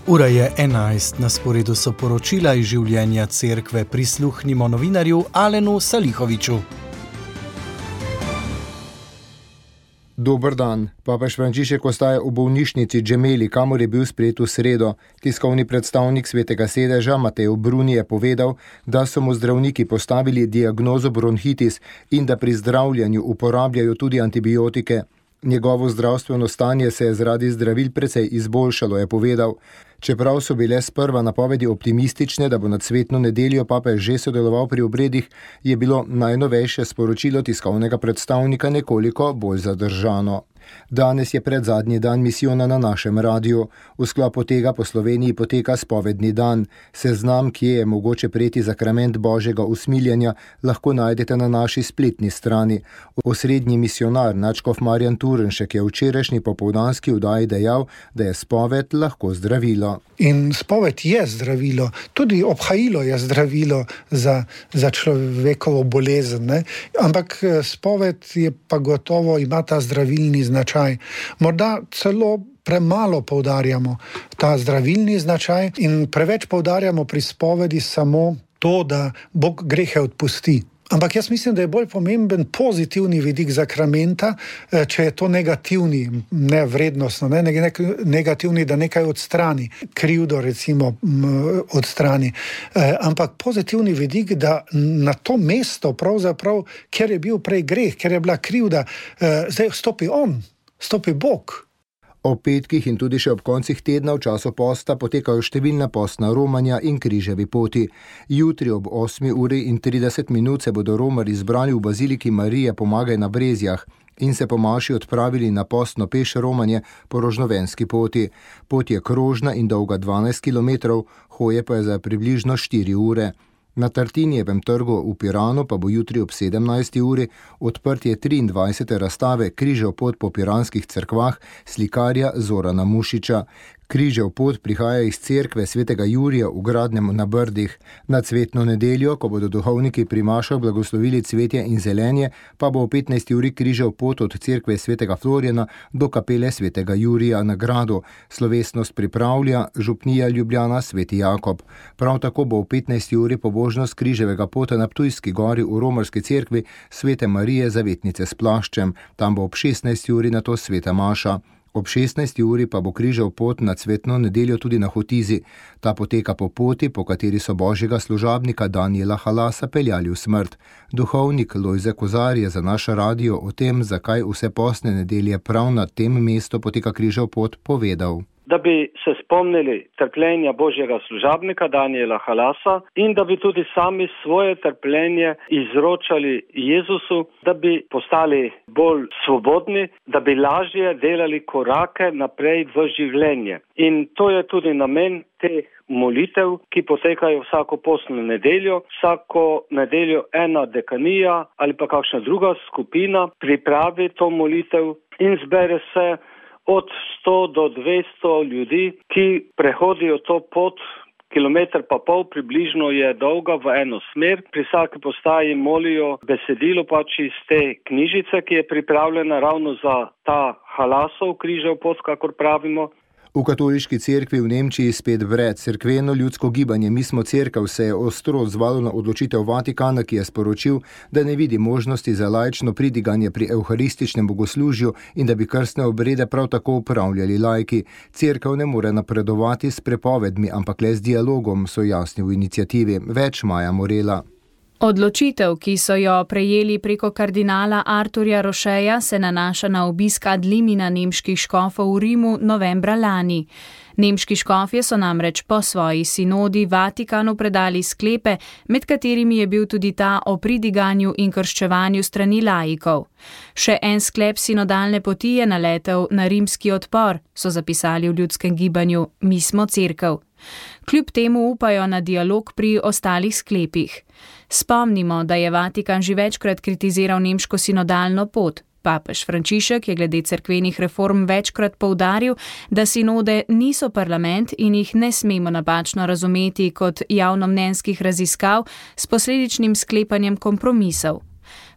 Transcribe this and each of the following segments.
Ura je 11, na sporedu so poročila iz življenja cerkve. Prisluhnimo novinarju Alenu Salihoviču. Dober dan. Papež Frančišek ostaja v bolnišnici Gemelli, kamor je bil sprejet v sredo. Tiskovni predstavnik Svetega sedeža Mateo Bruni je povedal, da so mu zdravniki postavili diagnozo bronhitis in da pri zdravljenju uporabljajo tudi antibiotike. Njegovo zdravstveno stanje se je zaradi zdravil precej izboljšalo, je povedal. Čeprav so bile sprva napovedi optimistične, da bo nad cvetno nedeljo papež že sodeloval pri obredih, je bilo najnovejše sporočilo tiskovnega predstavnika nekoliko bolj zadržano. Danes je predzadnji dan misijona na našem radiju. V sklopu tega po Sloveniji poteka spovedni dan. Seznam, kje je mogoče prejeti zakrament Božjega usmiljenja, lahko najdete na naši spletni strani. Osrednji misionar nadškof Marjan Turnšek je v včerajšnji popoldanski oddaji dejal, da je spoved lahko zdravilo. In spoved je zdravilo, tudi obhajilo je zdravilo za človekovo bolezen, ne? Ampak spoved je pa gotovo ima ta zdravilni značaj. Morda celo premalo poudarjamo ta zdravilni značaj in preveč poudarjamo pri spovedi samo to, da Bog grehe odpusti. Ampak jaz mislim, da je bolj pomemben pozitivni vidik zakramenta, če je to negativni, ne vrednostno, ne negativni, da nekaj odstrani, krivdo recimo odstrani. Ampak pozitivni vidik, da na to mesto pravzaprav, kjer je bil prej greh, kjer je bila krivda, zdaj stopi Bog. Ob petkih in tudi še ob koncih tedna v času posta potekajo številna postna romanja in križevi poti. Jutri ob 8:30 se bodo romarji zbrali v baziliki Marije Pomagaj na Brezjah in se po maši odpravili na postno peš romanje po Rožnovenski poti. Pot je krožna in dolga 12 km, hoje pa je za približno 4 ure. Na Tartinijevem trgu v Piranu pa bo jutri ob 17. uri odprtje 23. razstave Križev pot po piranskih cerkvah slikarja Zorana Mušiča. Križev pot prihaja iz cerkve svetega Jurija v Gradnem na Brdih. Na cvetno nedeljo, ko bodo duhovniki pri mašah blagoslovili cvetje in zelenje, pa bo o 15. uri križev pot od cerkve svetega Florjana do kapele svetega Jurija na Gradu. Slovesnost pripravlja župnija Ljubljana Sveti Jakob. Prav tako bo o 15. uri pobožnost križevega pota na Ptujski gori v romarski cerkvi Svete Marije Zavetnice s plaščem. Tam bo ob 16. uri nato sveta maša. Ob 16. uri pa bo križev pot na cvetno nedeljo tudi na Hotizi. Ta poteka po poti, po kateri so Božjega služabnika Danijela Halasa peljali v smrt. Duhovnik Lojze Kozar je za naš radio o tem, zakaj vse postne nedelje prav na tem mestu poteka križev pot, povedal. Da bi se spomnili trpljenja Božjega služabnika Danijela Halasa in da bi tudi sami svoje trpljenje izročali Jezusu, da bi postali bolj svobodni, da bi lažje delali korake naprej v življenje. In to je tudi namen teh molitev, ki potekajo vsako postno nedeljo. Vsako nedeljo ena dekanija ali pa kakšna druga skupina pripravi to molitev in zbere se od 100 do 200 ljudi, ki prehodijo to pot, kilometer pa pol približno je dolga v eno smer. Pri vsaki postaji molijo besedilo pač iz te knjižice, ki je pripravljena ravno za ta Halasov križev pot, kakor pravimo. V katoliški cerkvi v Nemčiji spet vred. Cerkveno ljudsko gibanje Mi smo cerkev se je ostro odzvalo na odločitev Vatikana, ki je sporočil, da ne vidi možnosti za laično pridiganje pri evharističnem bogoslužju in da bi krstne obrede prav tako upravljali laiki. Cerkev ne more napredovati s prepovedmi, ampak le z dialogom, so jasni v iniciativi. Več Maja Morela. Odločitev, ki so jo prejeli preko kardinala Arturja Rošeja, se nanaša na obisk ad limina nemških škofov v Rimu novembra lani. Nemški škofje so namreč po svoji sinodi Vatikanu predali sklepe, med katerimi je bil tudi ta o pridiganju in krščevanju strani laikov. Še en sklep sinodalne poti je naletel na rimski odpor, so zapisali v ljudskem gibanju Mi smo cerkev. Kljub temu upajo na dialog pri ostalih sklepih. Spomnimo, da je Vatikan že večkrat kritiziral nemško sinodalno pot. Papež Frančišek je glede cerkvenih reform večkrat poudaril, da sinode niso parlament in jih ne smemo napačno razumeti kot javnomnenjskih raziskav s posledičnim sklepanjem kompromisov.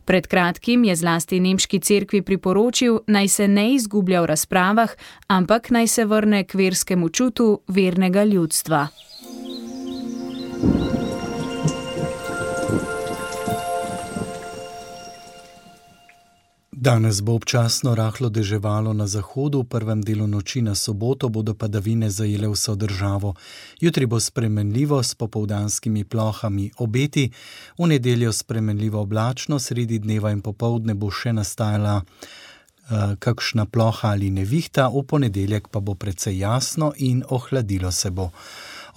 Pred kratkim je zlasti nemški cerkvi priporočil, naj se ne izgublja v razpravah, ampak naj se vrne k verskemu čutu vernega ljudstva. Danes bo občasno rahlo deževalo na zahodu, v prvem delu noči na soboto bodo padavine zajele vso državo. Jutri bo spremenljivo s popoldanskimi plohami obeti, v nedeljo spremenljivo oblačno, sredi dneva in popoldne bo še nastajala kakšna ploha ali nevihta, v ponedeljek pa bo precej jasno in ohladilo se bo.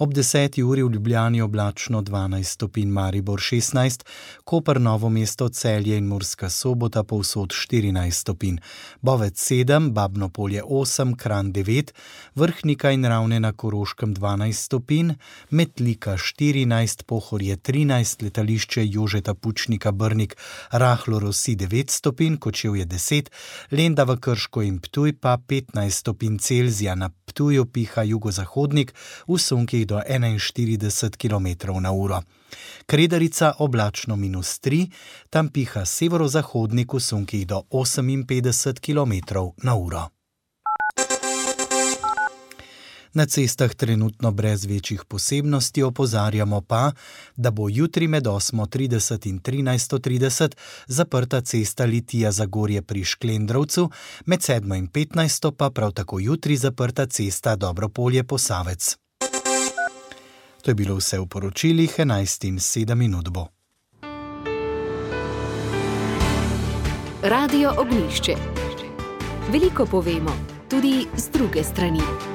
Ob 10. uri v Ljubljani oblačno 12 stopinj, Maribor 16, Koper, Novo mesto, Celje in Murska Sobota povsod 14 stopinj, Bovec 7, Babno Polje 8, Kranj 9, Vrhnika in Ravne na Koroškem 12 stopinj, Metlika 14, Pohorje 13, letališče Jožeta Pučnika Brnik rahlo rosi 9 stopinj, Kočevje 10, Lendava, Krško in Ptuj pa 15 stopinj Celzija, na Ptuju piha jugozahodnik, v sunkih do 41 km/h. Kredarica oblačno -3, tam piha severozahodnik v sunkih do 58 km/h. Na cestah trenutno brez večjih posebnosti, opozarjamo pa, da bo jutri med 8:30 in 13:30 zaprta cesta Litija-Zagorje pri Šklendrovcu, med 7 in 15 pa prav tako jutri zaprta cesta Dobropolje-Posavec. To je bilo vse v poročilih, 11:07 bo. Radio Ognjišče. Veliko povemo, tudi z druge strani.